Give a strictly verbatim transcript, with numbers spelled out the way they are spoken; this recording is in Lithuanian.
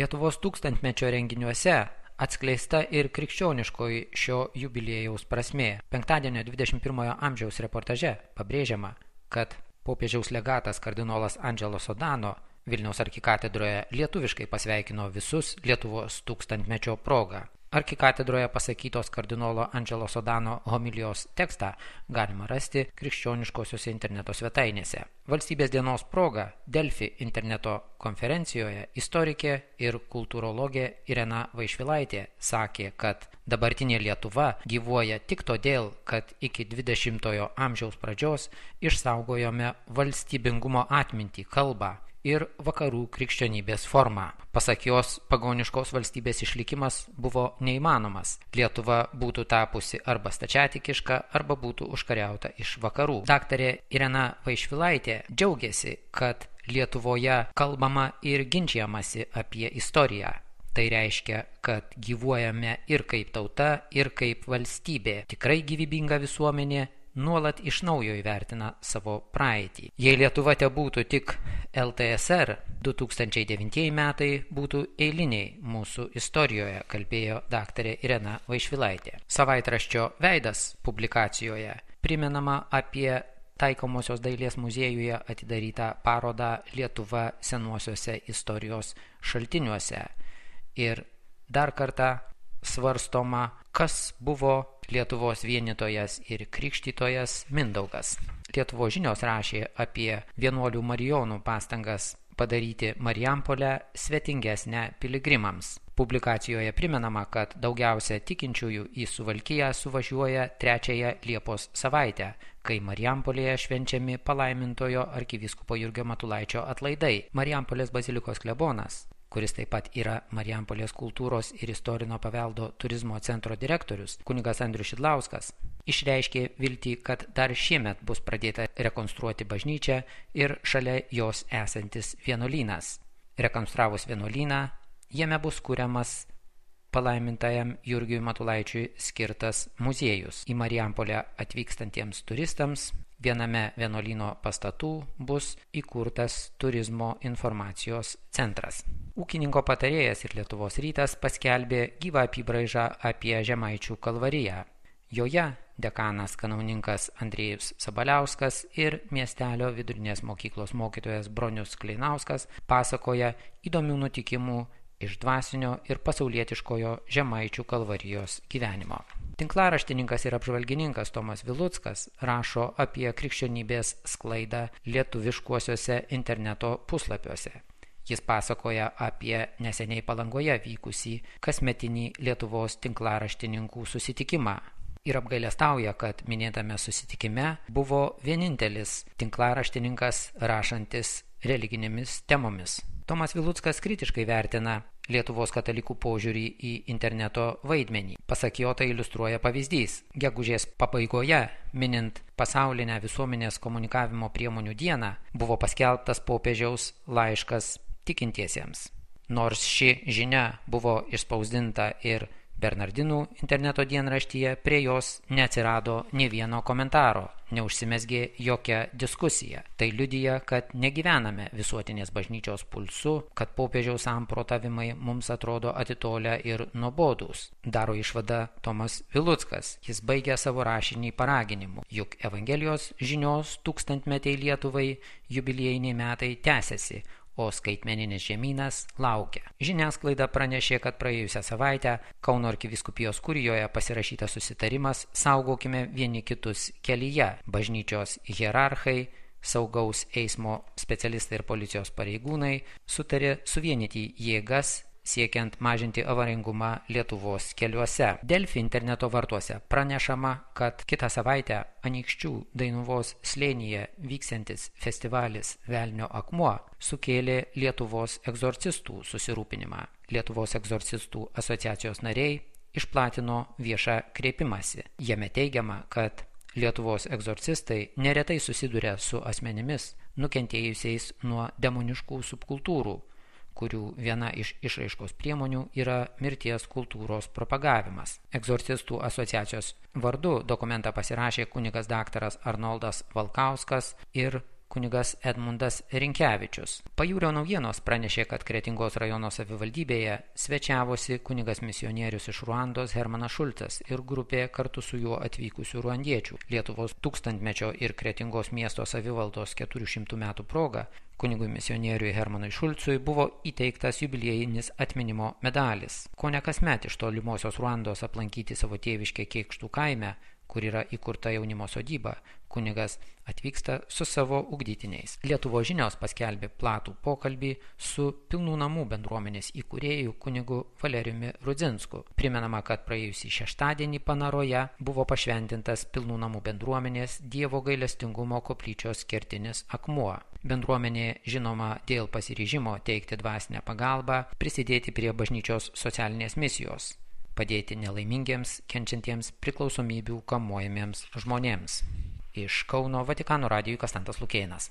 Lietuvos tūkstantmečio renginiuose atskleista ir krikščioniškoji šio jubiliejaus prasmė. Penktadienio dvidešimt pirmojo amžiaus reportaže pabrėžiama, kad popiežiaus legatas kardinolas Angelo Sodano Vilniaus arkikatedroje lietuviškai pasveikino visus Lietuvos tūkstantmečio proga. Arkikatedroje pasakytos kardinolo Angelo Sodano homilijos tekstą galima rasti krikščioniškosiuose interneto svetainėse. Valstybės dienos proga Delfi interneto konferencijoje istorikė ir kultūrologė Irena Vaišvilaitė sakė, kad dabartinė Lietuva gyvuoja tik todėl, kad iki dvidešimtojo amžiaus pradžios išsaugojome valstybingumo atmintį, kalbą ir vakarų krikščionybės formą. Pasak jos, pagoniškos valstybės išlikimas buvo neįmanomas. Lietuva būtų tapusi arba stačiatikiška, arba būtų užkariauta iš vakarų. Daktarė Irena Vaišvilaitė džiaugiasi, kad Lietuvoje kalbama ir ginčiamasi apie istoriją. Tai reiškia, kad gyvuojame ir kaip tauta, ir kaip valstybė. Tikrai gyvybinga visuomenė nuolat iš naujo įvertina savo praeitį. Jei Lietuva te būtų tik L T S R, du tūkstančiai devintieji metai būtų eiliniai mūsų istorijoje, kalbėjo daktarė Irena Vaišvilaitė. Savaitraščio Veidas publikacijoje primenama apie Taikomosios dailės muziejuje atidarytą parodą Lietuva senuosiuose istorijos šaltiniuose. Ir dar kartą svarstoma, kas buvo Lietuvos vienytojas ir krikštytojas Mindaugas. Lietuvos žinios rašė apie vienuolių marijonų pastangas padaryti Marijampolę svetingesnę piligrimams. Publikacijoje primenama, kad daugiausia tikinčiųjų į Suvalkiją suvažiuoja trečiąją Liepos savaitę, kai Marijampolėje švenčiami palaimintojo arkivyskupo Jurgio Matulaičio atlaidai. Marijampolės bazilikos klebonas, kuris taip pat yra Marijampolės kultūros ir istorinio paveldo turizmo centro direktorius, kunigas Andrius Šidlauskas, išreiškė viltį, kad dar šiemet bus pradėta rekonstruoti bažnyčią ir šalia jos esantis vienuolynas. Rekonstravus vienuolyną, jame bus kuriamas palaimintajam Jurgiui Matulaičiui skirtas muziejus. Į Marijampolę atvykstantiems turistams viename vienuolyno pastatų bus įkurtas turizmo informacijos centras. Ūkininko patarėjas ir Lietuvos rytas paskelbė gyvą apybraižą apie Žemaičių kalvariją. Joje dekanas kanauninkas Andrėjus Sabaliauskas ir miestelio vidurinės mokyklos mokytojas Bronius Kleinauskas pasakoja įdomių nutikimų iš dvasinio ir pasaulietiškojo Žemaičių kalvarijos gyvenimo. Tinklaraštininkas ir apžvalgininkas Tomas Viluckas rašo apie krikščionybės sklaidą lietuviškuosiuose interneto puslapiuose. Jis pasakoja apie neseniai Palangoje vykusį kasmetinį Lietuvos tinklaraštininkų susitikimą ir apgailestauja, kad minėtame susitikime buvo vienintelis tinklaraštininkas rašantis religinėmis temomis. Tomas Viluckas kritiškai vertina Lietuvos katalikų požiūrį į interneto vaidmenį. Pasak jo, tai iliustruoja pavyzdys. Gegužės pabaigoje, minint pasaulinę visuomenės komunikavimo priemonių dieną, buvo paskelbtas popiežiaus laiškas tikintiesiems. Nors ši žinia buvo išspausdinta ir Bernardinų interneto dienraštyje, prie jos neatsirado nė vieno komentaro, neužsimezgė jokia diskusija. Tai liudija, kad negyvename visuotinės bažnyčios pulsu, kad popiežiaus samprotavimai mums atrodo atitolę ir nuobodūs. Daro išvadą Tomas Viluckas. Jis baigia savo rašinį paraginimu, juk Evangelijos žinios tūkstantmetei Lietuvai jubiliejiniai metai tęsiasi, o skaitmeninis žemynas laukia. Žiniasklaida pranešė, kad praėjusią savaitę Kauno arkivyskupijos kurijoje pasirašytas susitarimas Saugokime vieni kitus kelyje. Bažnyčios hierarchai, saugaus eismo specialistai ir policijos pareigūnai sutarė suvienyti jėgas siekiant mažinti avaringumą Lietuvos keliuose. Delfi interneto vartuose pranešama, kad kitą savaitę Anykščių Dainuvos slėnyje vyksiantis festivalis Velnio akmuo sukėlė Lietuvos egzorcistų susirūpinimą. Lietuvos egzorcistų asociacijos nariai išplatino viešą kreipimąsi. Jame teigiama, kad Lietuvos egzorcistai neretai susiduria su asmenimis nukentėjusiais nuo demoniškų subkultūrų, kurių viena iš išraiškos priemonių yra mirties kultūros propagavimas. Egzorcistų asociacijos vardu dokumentą pasirašė kunigas daktaras Arnoldas Valkauskas ir kunigas Edmundas Rinkevičius. Pajūrio naujienos pranešė, kad Kretingos rajono savivaldybėje svečiavosi kunigas misionierius iš Ruandos Hermanas Šulcas ir grupė kartu su juo atvykusių ruandiečių. Lietuvos tūkstantmečio ir Kretingos miesto savivaldos keturių šimtų metų proga kunigui misionieriui Hermanui Šulcui buvo įteiktas jubiliejinis atminimo medalis. Kone kasmet iš tolimosios Ruandos aplankyti savo tėviškę Kėkštų kaime, kur yra įkurta jaunimo sodyba, kunigas atvyksta su savo ugdytiniais. Lietuvos žinios paskelbė platų pokalbį su Pilnų namų bendruomenės įkūrėju kunigu Valerijumi Rudzinsku. Primenama, kad praėjusį šeštadienį Panaroje buvo pašventintas Pilnų namų bendruomenės Dievo gailestingumo koplyčios kertinis akmuo. Bendruomenė žinoma dėl pasiryžimo teikti dvasinę pagalbą, prisidėti prie bažnyčios socialinės misijos, padėti nelaimingiems, kenčiantiems priklausomybių kamuojamiems žmonėms. Iš Kauno Vatikano radijui Kastantas Lukėnas.